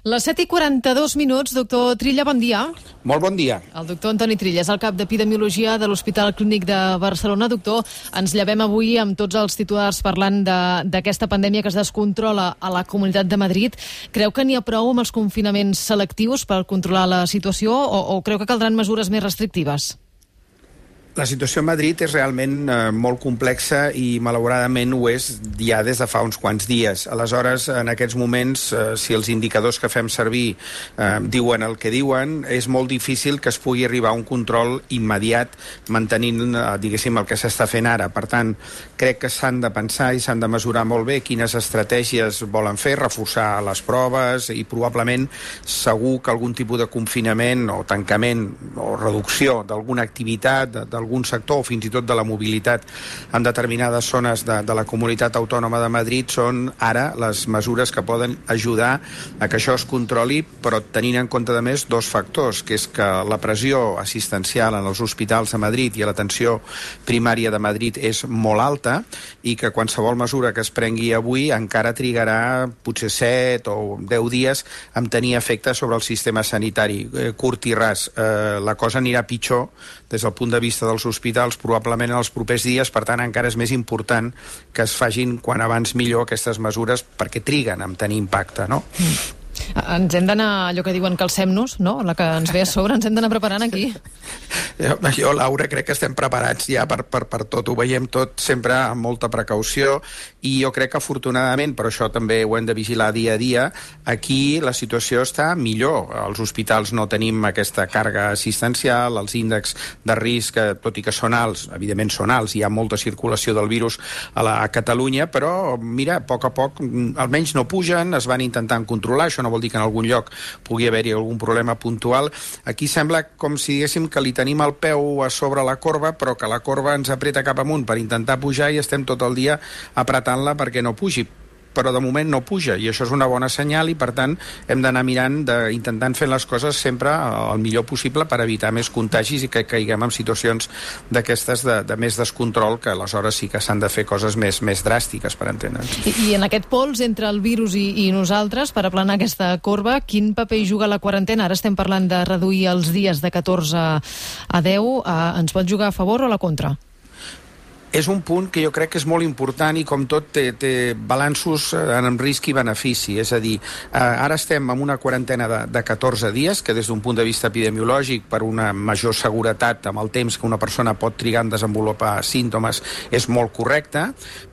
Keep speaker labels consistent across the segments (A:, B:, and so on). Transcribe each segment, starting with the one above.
A: Les 7:42, doctor Trilla, bon dia.
B: Molt bon dia.
A: El doctor Antoni Trilla és el cap d'Epidemiologia de l'Hospital Clínic de Barcelona. Doctor, ens llevem avui amb tots els titulars parlant d'aquesta pandèmia que es descontrola a la Comunitat de Madrid. Creu que n'hi ha prou amb els confinaments selectius per controlar la situació o creu que caldran mesures més restrictives?
B: La situació a Madrid és realment molt complexa i malauradament ho és ja des de fa uns quants dies. Aleshores, en aquests moments, si els indicadors que fem servir diuen el que diuen, és molt difícil que es pugui arribar a un control immediat mantenint, diguéssim, el que s'està fent ara. Per tant, crec que s'han de pensar i s'han de mesurar molt bé quines estratègies volen fer, reforçar les proves i probablement segur que algun tipus de confinament o tancament o reducció d'alguna activitat, d'algun sector o fins i tot de la mobilitat en determinades zones de la Comunitat Autònoma de Madrid són ara les mesures que poden ajudar a que això es controli, però tenint en compte de més dos factors, que és que la pressió assistencial en els hospitals de Madrid i a l'atenció primària de Madrid és molt alta i que qualsevol mesura que es prengui avui encara trigarà potser 7 o 10 dies en tenir efecte sobre el sistema sanitari. Curt i ras, la cosa anirà pitjor des del punt de vista dels hospitals probablement en els propers dies, per tant encara és més important que es facin quan abans millor aquestes mesures perquè triguen en tenir impacte, no?
A: Ens hem d'anar, allò que diuen calcem-nos, no? La que ens ve a sobre, ens hem d'anar preparant aquí.
B: Jo, Laura, crec que estem preparats ja per tot, ho veiem tot sempre amb molta precaució i jo crec que afortunadament, però això també ho hem de vigilar dia a dia, aquí la situació està millor. Als hospitals no tenim aquesta càrrega assistencial, els índexs de risc, tot i que són alts, evidentment són alts, hi ha molta circulació del virus a Catalunya, però mira, a poc, almenys no pugen, es van intentant controlar, això no vol dir que en algun lloc pugui haver-hi algun problema puntual. Aquí sembla com si diguéssim que li tenim el peu a sobre la corba, però que la corba ens apreta cap amunt per intentar pujar i estem tot el dia apretant-la perquè no pugi. Però de moment no puja i això és una bona senyal i per tant hem d'anar mirant, intentant fer les coses sempre el millor possible per evitar més contagis i que caiguem en situacions d'aquestes de més descontrol, que aleshores sí que s'han de fer coses més dràstiques, per entendre'ns.
A: I en aquest pols entre el virus i nosaltres, per aplanar aquesta corba, quin paper hi juga la quarantena? Ara estem parlant de reduir els dies de 14 a 10. Ens pot jugar a favor o a la contra?
B: És un punt que jo crec que és molt important i com tot té balanços en risc i benefici, és a dir, ara estem en una quarantena de 14 dies, que des d'un punt de vista epidemiològic, per una major seguretat amb el temps que una persona pot trigar en desenvolupar símptomes, és molt correcte,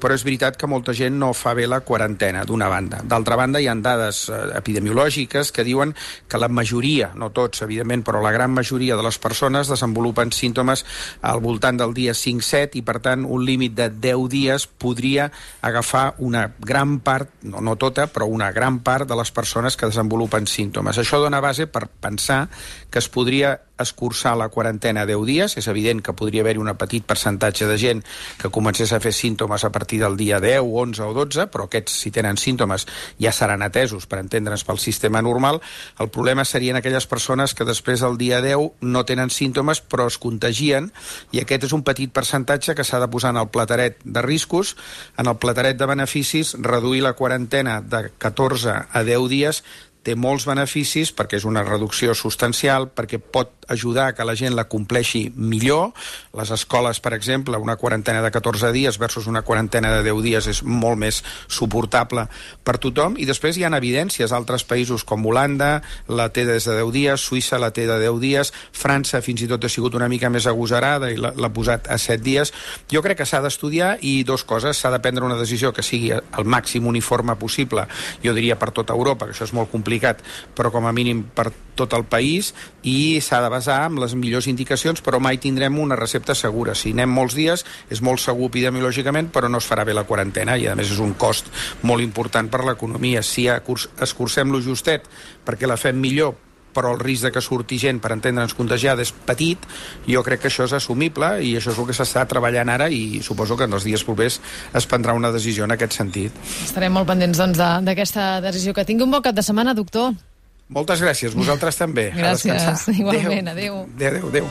B: però és veritat que molta gent no fa bé la quarantena, d'una banda. D'altra banda, hi ha dades epidemiològiques que diuen que la majoria, no tots, evidentment, però la gran majoria de les persones desenvolupen símptomes al voltant del dia 5-7 i, per tant, un límit de 10 dies podria agafar una gran part, no tota, però una gran part de les persones que desenvolupen símptomes. Això dona base per pensar que es podria escurçar la quarantena a 10 dies. És evident que podria haver-hi un petit percentatge de gent que comencés a fer símptomes a partir del dia 10, 11 o 12, però aquests, si tenen símptomes, ja seran atesos, per entendre'ns, pel sistema normal. El problema serien aquelles persones que després del dia 10 no tenen símptomes però es contagien, i aquest és un petit percentatge que s'ha de posar en el plateret de riscos. En el plateret de beneficis, reduir la quarantena de 14 a 10 dies té molts beneficis perquè és una reducció substancial, perquè pot ajudar que la gent la compleixi millor. Les escoles, per exemple, una quarantena de 14 dies versus una quarantena de 10 dies és molt més suportable per tothom. I després hi ha evidències. Altres països com Holanda la té des de 10 dies, Suïssa la té de 10 dies, França fins i tot ha sigut una mica més agosarada i l'ha posat a 7 dies. Jo crec que s'ha d'estudiar i dos coses. S'ha de prendre una decisió que sigui el màxim uniforme possible, jo diria per tota Europa, que això és molt complicat, però com a mínim per tot el país, i s'ha de basar en les millors indicacions, però mai tindrem una recepta segura. Si anem molts dies, és molt segur epidemiològicament, però no es farà bé la quarantena i a més és un cost molt important per l'economia. Si escurcem-lo justet perquè la fem millor, però el risc de que surti gent, per entendre'ns, contagiada és petit, jo crec que això és assumible i això és el que s'està treballant ara i suposo que en els dies propers es prendrà una decisió en aquest sentit.
A: Estarem molt pendents, doncs, d'aquesta decisió. Que tingui un bon cap de setmana, doctor.
B: Moltes gràcies, vosaltres també.
A: Gràcies, igualment, adéu.
B: Adéu.